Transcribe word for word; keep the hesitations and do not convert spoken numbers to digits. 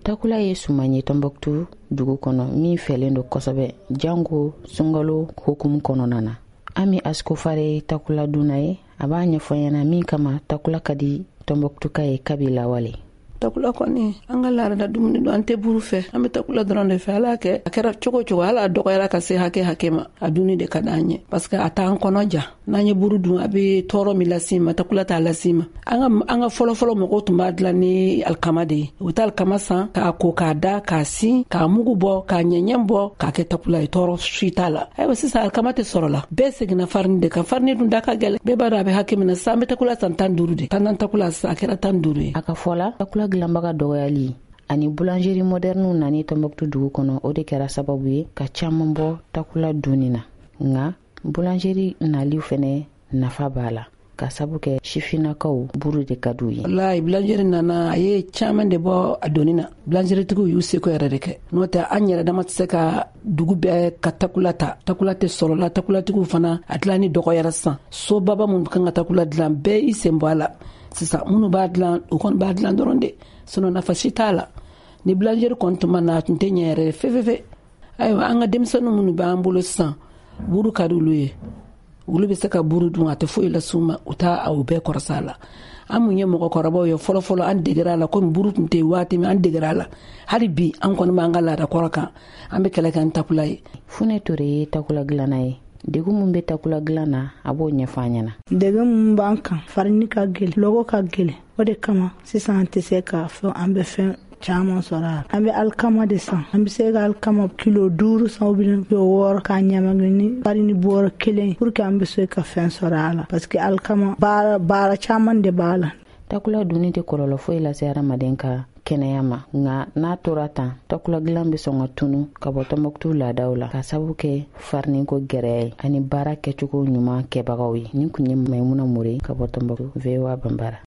Takula ye suman ye Tɔnbɔkutu dugu kɔnɔ min fɛlen don kosɛbɛ, jango sunkalo hukumu kɔnɔna na. Ami Asikofare ye takula dunna ye. A b'a ɲɛfɔ ɲɛna min kama takula ka di Tɔnbɔkutuka ye kabi lawale. Takula kɔni, an ka laadala dumuni don. An tɛ buru fɛ, an bɛ takula dɔrɔn de fɛ. Ala kɛ a kɛra cogo cogo, ala dɔgɔyara ka se hakɛ hakɛ ma, a dunni de ka d'an ye, parce que a t'an kɔnɔ ja. N'an ye buru dun, a bɛ tɔɔrɔ min las'i ma, takula t'a las'i ma. An ka an ka fɔlɔfɔlɔ mɔgɔw tun b'a dilan ni alikama de ye. U bɛ taa alikama san k'a ko, k'a da, k'a sin, k'a mugu bɔ, k'a ɲɛɲɛ bɔ, k'a kɛ takula ye. Tɔɔrɔ si t'a la. Ayiwa, sisan alikama tɛ sɔrɔ la, bɛɛ seginna farini de kan. Farini dun da ka gɛlɛn, bɛɛ b'a dɔn a bɛ hakɛ min na. Sisan an bɛ takula san tan duuru de, tan takula sisan a kɛra tan duuru ye. A ka fɔ la, takula dilanbaga dɔgɔyali ani boulangerie moderne nani Tɔnbɔkutu dugu kɔnɔ, o de kɛra sababu ye ka caaman bɔ takula dunni na. Nka boulangerie nali fɛnɛ nafa b'a la, ka sabu kɛ sifinnakaw buru de ka d'u ye. Wallahi, boulangerie nana, a ye caaman de bɔ a doni na. Boulangeritigiw y'u seko yɛrɛ de kɛ, n'o tɛ an yɛrɛ dama tɛ se ka dugu bɛɛ ka takula ta. Takula tɛ sɔrɔ la, takulatigiw fana a dilanni dɔgɔyara. Sisan sobaba minnu kan ka takula dilan, bɛɛ i sen bɔ a la. Sisan minnu b'a dilan, u kɔni b'a dilan dɔrɔn de, sinon nafa si t'a la. Ni boulangerie kɔni tun ma na, a tun tɛ ɲɛ yɛrɛ fefefe. Ayiwa, an ka denmisɛnnin minnu b'an bolo sisan, buru ka di olu ye. Olu bɛ se ka buru dun, a tɛ foyi las'u ma, u t'a o bɛɛ kɔrɔsa a la. An mun ye mɔgɔkɔrɔbaw ye, fɔlɔfɔlɔ an degera a la. Komi buru tun tɛ yen waati min, an degera a la. Hali bi an kɔni b'an ka laada kɔrɔ kan, an bɛ kɛlɛ kɛ ni takula ye. Fune Ture ye takula dilanna ye. Degun min bɛ takula dilan na, a b'o ɲɛfɔ an ɲɛna. Degun min b'an kan, farini ka gɛlɛn, lɔgɔ ka gɛlɛn. O de kama sisan an tɛ se k'a fɔ an bɛ fɛn caman sɔrɔ a la. An bɛ alikama de san. An bɛ se ka alikama kilo duuru san, ou bien kilo wɔɔrɔ, k'a ɲamaga ni farini bɔrɔ kelen, pour que an bɛ se ka fɛn sɔrɔ a la, parce que alikama baara baara caman de b'a la. Takula dunni tɛ kɔlɔlɔ foyi lase hadamaden ka kɛnɛya ma, nka n'a tora tan, takula dilan bɛ sɔn ka tunu ka bɔ Tɔnbɔkutu laadaw la, ka sabu kɛ fariniko gɛrɛ ye ani baara kɛcogo ɲuman kɛbagaw ye. Nin kun ye Maimuna More ka bɔ Tɔnbɔkutu, V O A Banbara.